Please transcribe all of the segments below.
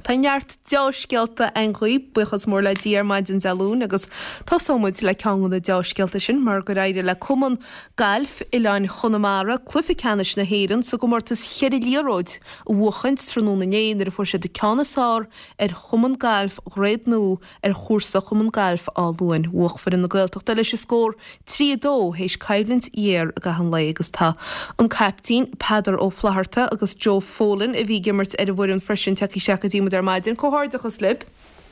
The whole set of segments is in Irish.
Tá neart deá-scéalta againn dhaoibh, buíochas mór le Dia ar maidin Dé Luain agus tosóidh muid le ceann de na deá-scéalta sin mar gur éirigh le Cumann Gailf Oileáin Chonamara cluiche ceannais na hÉireann sa gcomórtas cheithre liathróid a bhuachaint tráthnóna inné nuair a fuair siad an ceann is fearr ar Chumann Gailf Dhroichead Nua ar chúrsa Chumann Gailf Áth Luain. Bhuaigh foireann na Gaeltachta leis an scór 3, 2 théis coimhlint ghéar i gcaitheamh an lae agus tá an caiptín Peadar Ó Flatharta agus Joe Folan a bhí ag imirt ar an bhfoireann freisin tagtha isteach go dtí muid ar maidin. Comhghairdeachas libh.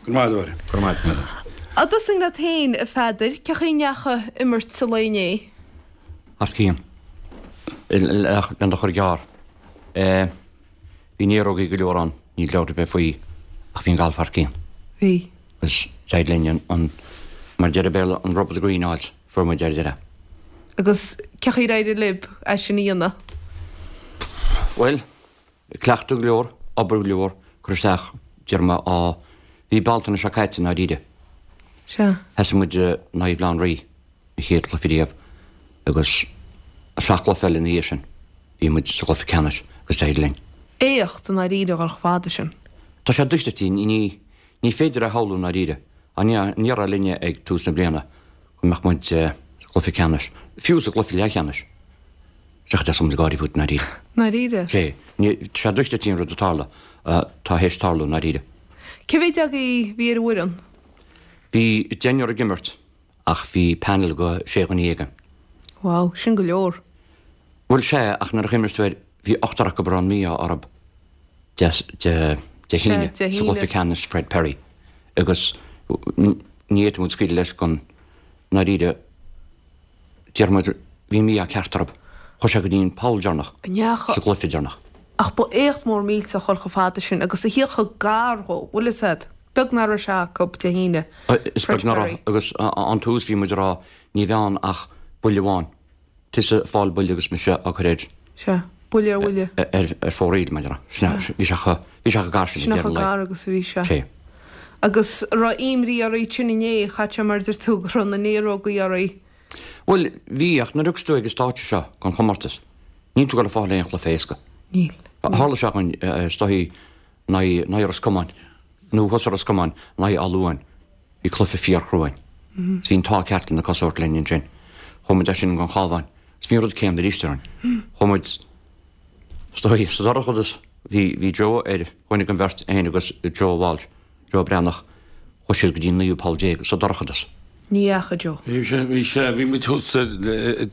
Go raibh maith agat, a Mháire. Go raibh maith agat. Á dtosóinn leat féin, a Pheadair, cén chaoi a ndeachaigh imirt an lae inné? Thar cionn. Lena do chur gearr. Bhí néarógaí go leor ann, níl dabht ar bith faoi, ach bhí an galf thar cionn. Bhí. Agus d'éirigh linn an, mar a deir an Béarla, an rub of the green a fháilt, fuair muid ar deireadh. Agus cén chaoi ar éirigh libh é sin a dhéanamh? Bhuel, cleachtadh go leor, obair go leor, cur isteach, déarfaidh mé, á, bhí Bealtaine seo caite i ndáiríre. Sea. Thosaigh muid in aghaidh Bhaile Átha an Rí, an chéad chluiche riamh, agus seacht gcluiche eile ina dhiaidh sin. Bhí muid sa gcluiche ceannais agus d'éirigh linn. Éacht i ndáiríre a dhul chomh fada sin. Tá sé dochreidte, ní ní féidir a shamhlú i ndáiríre. Ní déarfá linne ag tús na bliana go mbeadh muid sa gcluiche ceannais, fiú sa gcluiche leathcheannais. Seachas deas muid ag gáirí fút i ndáiríre. Ndáiríre? Sé. Ní, tá sé dochreidte an rud a tharla, atá théis tarlú i ndáiríre. Cé mhéad agaibh a bhí ar an bhfoireann? Bhí deichniúr ag imirt ach bhí panel go sé dhuine againn. Wow, sin go leor. Bhuel, sea, ach nuair a chuimhníos tú air, bhí ochtar acu a raibh an mí-ádh orthu Dé Dé hAoine Sea, Dé sa hAoine. gcluiche ceannais Fred Perry agus ní fhéadfadh muid scaoileadh leis go ndáiríre, déarfaidh muid, bhí an mí-ádh ceart orthu. Chuaigh sé go dtí an poll deireanach Ndeacha. sa gcluiche deireanach. Ach ba éacht mór millteach dhul chomh fada sin agus a thíocht chomh gar dhó, bhfuil fhios a'd. Beag nach raibh sé acu Dé hAoine, Is Fred beag nach Perry. raibh agus ón tús bhí muid ag rá ní bheidh ann ach buille amháin. Tusa ag fáil buille agus mise á cur ar. Sea. Buille ar bhuille. Ar fóraoil, mar a déarfá. Sin é. Bhí sé chomh, bhí sé chomh gar sin Sin ag deireadh chomh an lae. gar agus a bhí sé. Sea. Agus an raibh imní oraibh ansin inné, chaith sé mar a deir tú, go raibh na néarógaí oraibh. Bhuel, bhí, ach nuair a thiocfas tú ag an stáitse seo den chomórtas, níl tú ag dul ag fáil aon chluiche éasca. Níl. Tharla sé againn, is dóichí, in aghaidh, in aghaidh Ros Comáin, nó thusa Ros Comáin, in aghaidh Áth Luain. Bhí cluiche fíorchrua againn. Is bhí an t-ádh ceart le na cosa a thabhairt linn ansin. Chuaigh muid as sin gon Chabhán. Is bhí an rud céanna arís orainn. Chuaigh muid, is dóigh, sa dorchadas. Bhí, bhí Joe ar dhuine den bheirt, é féin agus Joe Walsh, Joe Breathnach, chuaigh siad go dtí an naoú poll sa dorchadas. Ní dheachaigh Joe. Bhí sé, bhí sé, bhí muid thuas ar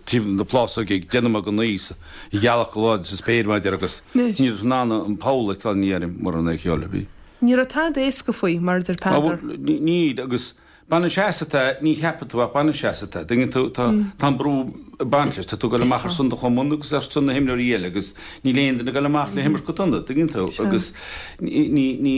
taobh na plásóige ag déanamh mar go naoi, an ghealach go láidir sa spéir mar a déarfá agus ní raibh in ann an poll a fheiceáil ní deirim mura é cheol a bhí. Ní raibh tada éasca faoi, mar a deir Peadar. Níl, agus baineann sé asat é, ní cheapann tú ach baineann sé asat é. Tuigeann tú, tá tá an brú ag baint leis, tá tú ag dul amach ar son do chumann agus ar son na himreoirí eile agus níl aon duine ag dul amach le himirt go dona, tuigeann tú, agus ní ní ní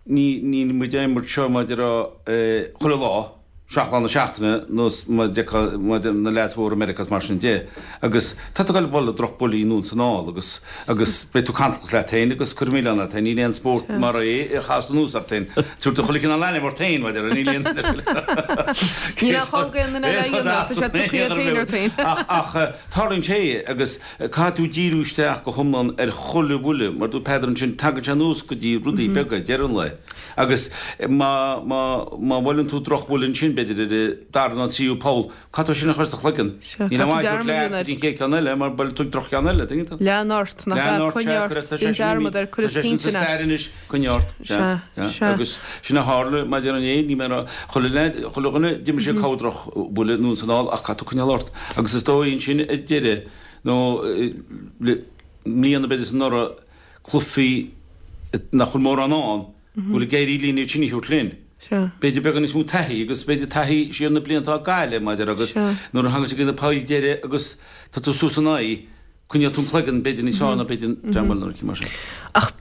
ní níl muid ag imirt seo mar a déarfá chuile lá. 7 lá na seachtaine nós mar a deir na leaids mhóra i Meiriceá is mar sin de agus tá tú ag dul ag bualadh drochbhuillí anonn is anall agus agus beidh tú cantalach leat féin agus cuir milleán ort féin níl aon spórt mar é a chaitheas anuas ort féin tabhair tú chuile chineál ainm ort féin mar a déarfá níl aon Níl aon chall aon duine eile a dhéanamh tá sé tugtha iad féin ort féin. Ach ach tarlaíonn sé agus caithfidh tú díriú isteach go hiomlán ar chuile bhuille mar dúirt Peadar ansin tagann sé anuas go dtí rudaí beaga ag deireadh an lae. Agus má, má, má bhuaileann tú drochbhuille ansin, b'fhéidir ar an dara nó an tríú poll, caithfidh tú sin a chur sa chloigeann. Sea, Níl aon caithfidh tú mhaith dearmad a leat dhéanamh go dtí an chéad cheann eile mar buailfidh tú droch-cheann eile, tuigeann tú? Lean ort, nach Lean ea? ort, Coinnigh sea, ort, cuir, tá sé déan sin dearmad imithe, air, cuir tá as sé sin sa cinnte ná. stair anois, coinnigh ort, sea, Sea, sea. sea. Agus sin a tharla maidir inné, ní mé a rá, chuile leaid, chuile dhuine, d'imir sé corr drochbhuille anonn is anall ach caithfidh tú coinneáil ort. Agus is dóigh ansin ar deireadh, nó le mbliana b'fhéidir is anuraidh, cluichí nach bhfuil mórán ann, go bhfuil ag éirí linn iad sin a thabhairt linn. B'fhéidir beagán níos mó taithí agus b'fhéidir taithí siar na blianta á gcailleadh, mar a déarfá, agus nuair a thagann sé go na poill deiridh agus tá tú suas in aghaidh, coinneoidh tú an cloigeann b'fhéidir níos fearr ná b'fhéidir dream eile nó mar sin. Ach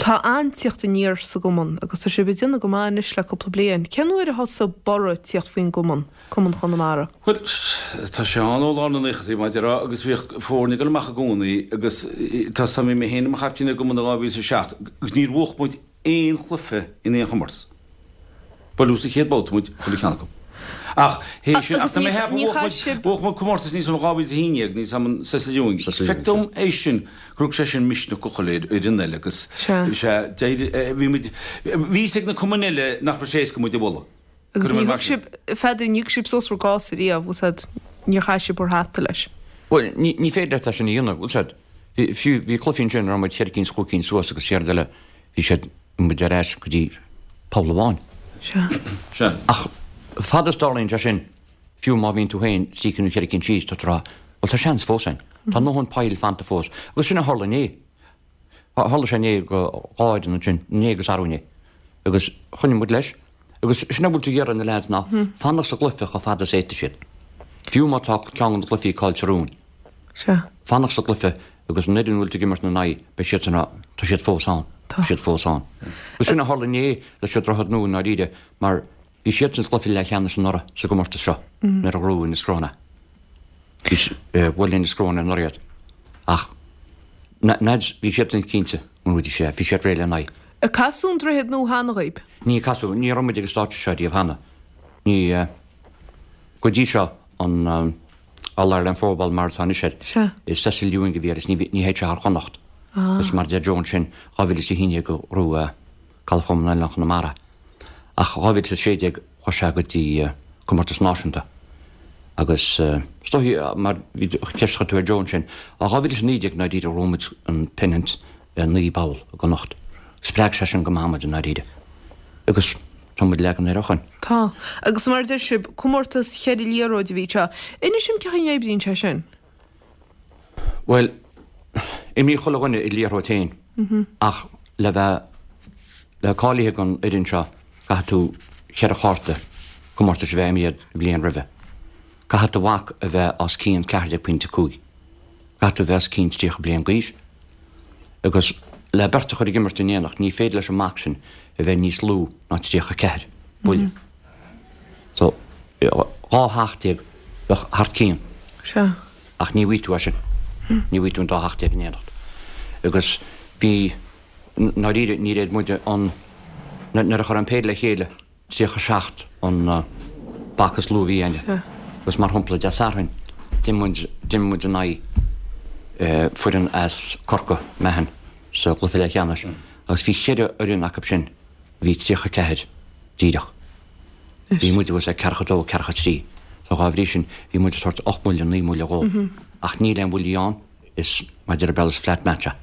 tá an-tíocht aniar sa gcumann agus tá sibh ag déanamh go maith anois le cúpla bliain. Cén uair a thosaigh borradh tíocht faoin gcumann? Cumann Chonamara. Bhuel, tá sé ann ó lár na naochadaí, mar a déarfá, agus bhíodh foirne ag dul amach i gcónaí agus tá 's a'm, bhí mé féin i mo chaiptín ar an gcumann i 2007 agus níor bhuach muid aon chluiche in aon chomórtas. Buaileadh sa chéad babhta muid chuile cheann acu. Ach théis sin, ach tá mé ag ceapadh, bhuaigh muid comórtas níos mó 2011, níos am an Cecil Ewing. Feictear dom théis sin gur thug sé sin misneach go chuile fhoireann eile agus sea, d'éirigh, bhí muid, bhí fhios ag na cumainn eile nach raibh sé éasca muid a bhualadh. Agus ní thug sibh, Pheadair, ní thug sibh suas bhur gcás ariamh, bhfuil 's a'd, níor chaith sibh bhur hata leis. Bhuel, ní, ní féidir leat é sin a dhéanamh, bhfuil 's a'd. Bhí, fiú, bhí cluichí ansin a raibh muid cheithre cinn is chúig cinn suas agus céard eile, bhí siad, bhí muid ar ais go dtí poll amháin. Sea. Sea. Ach fad is dtarlaíonn sé sin, fiú má bhíonn tú féin trí cinn nó cheithre cinn síos, tá tú ag rá, bhuel tá seans fós ann. Tá ndóthain poill fanta fós. Agus sin a tharla inné. Tharla sé inné go dhá fhoireann ansin, inné agus arú inné. Agus choinnigh muid leis. Agus sin a bhfuil tú ag iarraidh ar na leaids ná fanacht sa gcluiche chomh fada is a fhéadfaidh siad. Fiú má tá ceann de na cluichí caillte romhainn. Sea. Fanacht sa gcluiche agus an fhoireann a bhfuil tú ag imirt ina n-aghaidh, beidh siadsan ag rá, tá siad fós ann, tá siad fós ann. Agus sin a tharla inné leis an Droichead Nua i ndáiríre mar bhí siadsan sa gcluiche leathcheannais anuraidh sa gcomórtas seo nuair a ghnóthaigh Inis Cró é. Bhuail Inis Cró anuraidh iad. Ach na leaids, bhí siadsan cinnte go mbuafaidís é, bhí siad réidh lena aghaidh. Ar casadh an Droichead Nua cheana dhaoib? Ní casadh, ní raibh muid ag an stáitse seo riamh cheana. Ní, go dtí seo an All Ireland Fourball mar atá anois air. Sea. Is Cecil Ewing a bhí air is ní ní théid sé thar Chonnacht. Agus mar a deir Joe ansin, 2011 a ghnóthaigh Galf Chumann Oileán Chonamara. Ach 2016 chuaigh sé go dtí comórtas náisiúnta. Agus is dóichí mar bhí ceist a chuir tú ar Joe ansin, 2019 i ndáiríre ghnóthaigh muid an pennant i naoi bpoll i gConnacht. Spreag sé sin go maith muid i ndáiríre. Agus tá muid leagan air ó shoin. Tá. Agus mar a deir sibh, comórtas cheithre liathróid a bhí anseo. Inis dom cén chaoi a n-oibríonn sé sin? Bhuel, imríonn chuile dhuine a liathróid féin ach le bheith le cáilithe don fhoireann seo caithfidh tú cheithre chárta comórtais a bheith imeartha an bhliain roimhe. Caithfidh do mhac a bheith os cionn 14.5. Caithfidh tú a bheith os cionn 30 bliain d'aois. Agus le beirt a chur ag imirt in éineacht ní féidir leis an mac sin a bheith níos lú ná 34 buille. So, 12 theach bheadh thart cionn. Sea. Ach ní bhfaighidh tú é sin. Ní bhfaighidh tú an dá theach in éineacht. Agus bhí, ndáiríre, ní raibh muid an, nuair a chur an péire le chéile, 37 an bac is lú a bhí againne. Agus mar shampla, Dé Sathairn, d'imir muid in aghaidh foireann as Corca, Meathan, sa gcluiche leathcheannais agus bhí cheithre fhoireann acu sin a bhí 34 díreach. Bhí muid thuas ag 42, 43. So dhá bhrí sin, bhí muid ag tabhairt ocht mbuille, naoi mbuille dhóibh. Ach níl aon bhuillí ann, is mar a deir an Béarla is flat match é.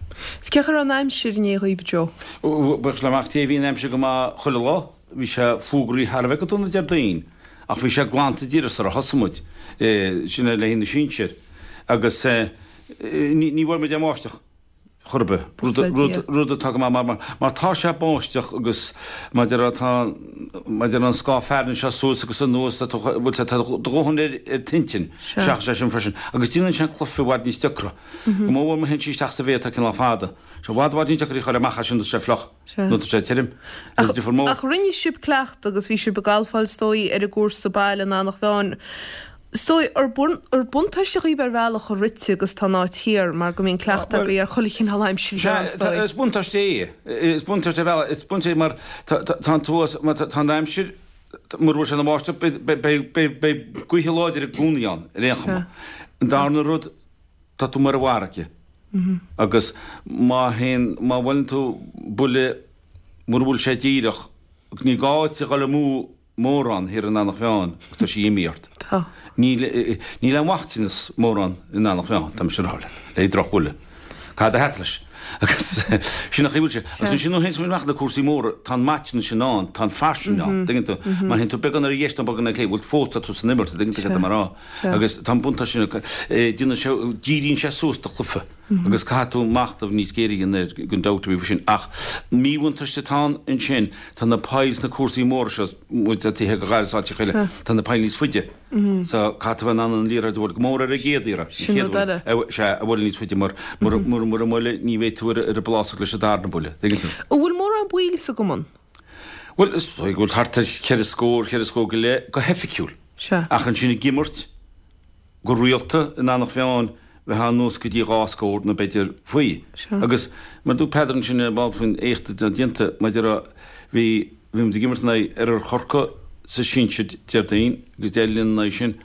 Is cén chaoi a raibh an aimsir inné dhaoib, Joe? Buíochas le Mac Dé bhí an aimsir go maith chuile lá. Bhí sé fuagraithe thar a bheith go dona Déardaoin ach bhí sé glanta díreach sar a thosaigh muid, sin é le haghaidh na sinsir. Agus ní bhfuair muid aon bháisteach chor ar bith, rud atá go maith mar mar tá sé báisteach agus mar a déarfá tá mar a déarfá an scáth fearthainne seo suas agus anuas tá tú bhfuil sé tá do dhóthain ar ar t'intinn seachas é sin freisin agus déanann sé an cluiche i bhfad níos deacra. Go mór mór má théann sí isteach sa bhféar atá cineál fada. Sé i bhfad i bhfad níos deacra í a chur amach as sin nó tá sé fliuch. Nó tá sé tirim. Is difear mór. Ach rinne sibh cleachtadh agus bhí sibh ag galfáil is dóigh ar an gcúrsa baile in Eanach Mheáin. Is dóigh, ar buntáiste dhaoibh ar bhealach a rite agus tá an áit thiar mar go mbíonn cleachtadh agaibh ar chuile chineál aimsire thiar is dóigh. Is buntáiste é. Is buntáiste ar bhealach. Is buntáiste é mar tá an tuas, mar tá an aimsir, mura bhfuil sé ina bháisteach, beidh gaoithe láidir i gcónaí ann ar aon chuma. An darna rud, tá tú ar an bhfarraige agus má théann, má bhuaileann tú buille, mura bhfuil sé díreach, ní gá duit a dhul amú mórán thiar in Eanach Mheáin agus tá sí imithe ort. Tá. Níl, níl aon mhaiteanas mórán in Eanach Mheáin, tá mise a rá leat, le drochbhuille. Caith do hata leis. Agus sin an chaoi a bhfuil sé. Agus ansin nuair a théann muid amach na cúrsaí móra, tá an maiteanas sin ann, tá an fairsinge ann, tuigeann tú. Má théann tú beagán ar dheis nó beagán ar chlé, bhuel fós tá tú san imirt, tuigeann tú cad tá mé a rá. Agus tá an buntáiste sin acu. Déanann sé, díríonn sé suas do chluiche agus caithfidh tú machnamh níos géire a dhéanamh air gan dabht ar bith faoi sin. Ach míbhuntáiste atá ann ansin, tá na poill sna cúrsaí móra seo, muid taobh thiar de Ghaillimh is áiteacha eile, tá na poill níos faide. So caithfidh tú a bheith in ann an liathróid a bhualadh, go mór ar an gcéad iarraidh, an chéad bhuille, sea, a bhualadh níos faide mar mura mbuaile ní bheidh tú ar an bplásóg leis an darna buille. Tuigeann tú? An bhfuil mórán baill sa gcumann? Bhuel, is dóigh go bhfuil thart ar cheithre scór, cheithre scór go leith go hoifigiúil. Sea. Ach ansin ag imirt go rialta in Eanach Mheáin bheifeá anuas go dtí dhá scór nó b'fhéidir faoi. Sea. Agus mar a dúirt Peadar ansin ar ball faoin éacht atá déanta, mar a déarfá, bhí, bhí muid ag imirt in aghaidh Oirthear Chorcaí. sa sinsir Déardaoin agus Dé Luain ina dhiaidh sin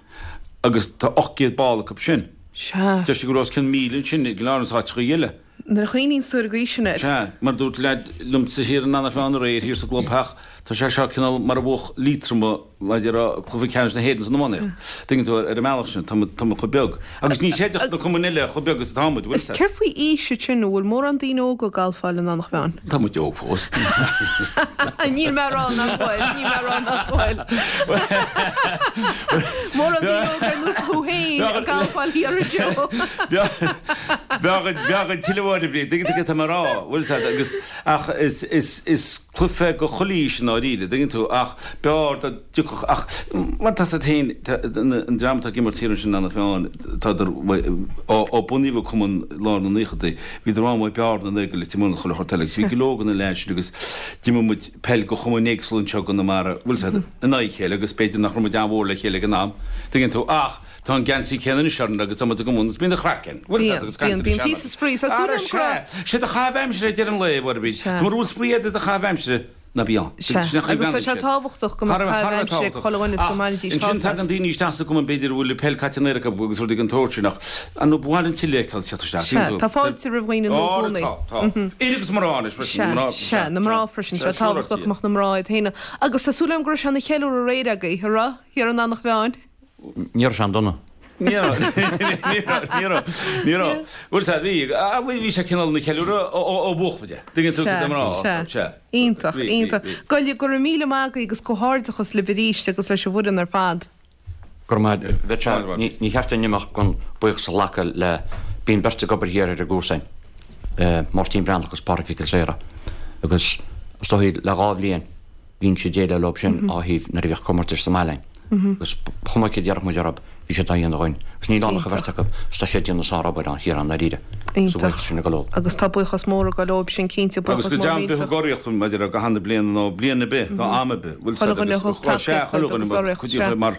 agus tá 800 ball acu sin. Sea. Deir siad go raibh os cionn 1,000 ansin i gCill Airne is áiteacha eile. Nuair a chuimhníonns tú ar an gcaoi sin air. Sea, mar a dúirt leaid liomsa thiar in Eanach Mheáin aréir thiar sa gclubtheach, tá sé seo cineál mar a bhuafadh Liatroim mar a déarfá cluiche ceannais na hÉireann san iománaíocht. Tuigeann tú, ar an mbealach sin, tá muid, tá muid chomh beag. Agus ní chreidfeadh na cumainn eile chomh beag is atá muid, bhfuil 'fhios a'd. Céard faoi aois ansin, an bhfuil mórán daoine óga ag galfáil in Eanach Mheáin? Tá muid óg fós. Níl mé a rá nach bhfuil, níl mé a rá nach bhfuil. Mórán daoine óga ar nós thú féin ag galfáil thiar a Joe. Bheadh an tuilleadh uair a bhí, tuigeann tú céard tá mé a rá, bhfuil 'fhios a'd, agus, ach is, is, is cluiche go chuile aois i ndáiríre, dtuigeann tú, ach b'fhearr dá dtiocfadh, ach mar tá 'fhios a'd féin, an dream atá ag imirt thiar ansin in Eanach Mheáin, tádar, ó, ó bunaíodh an cumann i lár na naochadaí, bhíodar an-mhaith Bearna, ag Leitir Móir chuile shórt eile, agus bhí go leor de na leaids sin agus d'imir muid peil go chumainn éagsúla anseo i gConamara, bhfuil 'fhios a'd, in aghaidh a chéile agus b'fhéidir nach raibh muid an-mhór le chéile ag an am, tuigeann tú, ach. Tá an geansaí céanna anois orainn agus tá muid i gcumann agus bíonn an chraic ann. Bhfuil 'fhios a'd agus caint Bíonn, bíonn píosa spraoi. Tá súil Ara agam go raibh. sea, sé do chaitheamh aimsire ag deireadh an lae, a Mhuirbí. Sea. Tá mura bhfuil spraoi a'd i do chaitheamh aimsire, ná bí ann. Sea, Sin an chaoi agus tá bheannaigh sé sé. tábhachtach go Thar mbeadh a bheith, thar caitheamh a bheith aimsire ag tábhachtach. chuile dhuine is go Ach mbainfidís ansin sásamh tagann as. daoine isteach sa gcumann b'fhéidir a bhfuil peil caite in aer acu agus rudaí den tsórt sin ach ar ndóigh ba mhaith linn tuilleadh a fheiceáil teacht isteach, Sea, tuigeann tú. tá fáilte roimh dhaoine nua i Á, gcónaí. tá, tá. Fir agus mná anois freisin, Sea, na mná, sea, sea, na mná sea. freisin. Sea, Sé tábhachtach go siúráilte. mbeadh na mná iad féin. Agus tá súil agam go raibh sé ina cheiliúradh aréir agaibh, a raibh, thiar in Eanach Mheáin? Ní raibh sé an-dona. Ní raibh, ní raibh, ní raibh, ní raibh. Bhuel, sea, bhí, bhuel, bhí sé cineál ina cheiliúradh ó bhuaigh muid é. Tuigeann tú cad tá mé a rá? Sea, Sea. Iontach, Bhí, bhí, iontach. bhí. Go, go raibh míle maith agaibh agus comhghairdeachas libh arís agus leis an bhfoireann ar fad. Go raibh maith agat. Bheadh sé, ní, ní cheart dúinn imeacht gan buíochas a ghlacadh le, bíonn beirt ag obair thiar ar an gcúrsa againn, Máirtín Breathnach agus Pádraig Mhic Giolla Saoire agus is dóigh le dhá bhliain, Bhínnse ag déileáil leo sin á thaobh nuair a bhíodh comórtais sa mbaile againn. Agus ba chuma céard a déarfadh muid orthu, bhí siad á dhéanamh dhúinn. Agus níl ann ach an bheirt acu, agus tá siad ag déanamh sárobair ann thiar i ndáiríre. So buíochas sin ag dul leo. Agus tá buíochas mór ag dul leo sin cinnte, Agus buíochas go mór deimhin millteach. bheadh urraíocht maidir le gach aon bliain nó bliain ar bith, nó am ar bith. Bhfuil Chuile 'fhios dhuine a agus thug sea, tacaíocht chuile agus dhuine mar urraíocht, cuid sea. mar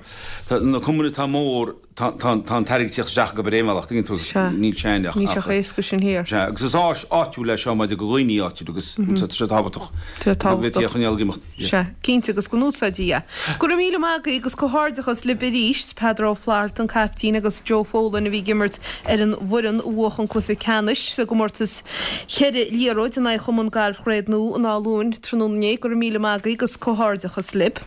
tá na cumainn atá mór Tá an t-airgead ag teacht isteach acu ar aon bhealach, tuigeann tú, Sea. níl sé ach. Níl sé chomh héasca sin thiar. Sea, agus is áis áitiúil é seo maidir go dhaoine áitiúil agus tá sé tábhachtach. Tá sé Go bhféadfaí tábhachtach. a choinneáil ag imeacht. Sea, cinnte, agus go n-úsáidfí é. Go raibh míle maith agaibh agus comhghairdeachas libh arís, Peadar Ó Flatharta, an caiptín, agus Joe Folan a bhí ag imirt ar an bhfoireann a bhuach an cluiche ceannais sa gcomórtas cheithre liathróid in aghaidh Chumann Gailf Chraobh Nua in Áth Luain tráthnóna inné. Go raibh míle maith agaibh agus comhghairdeachas libh.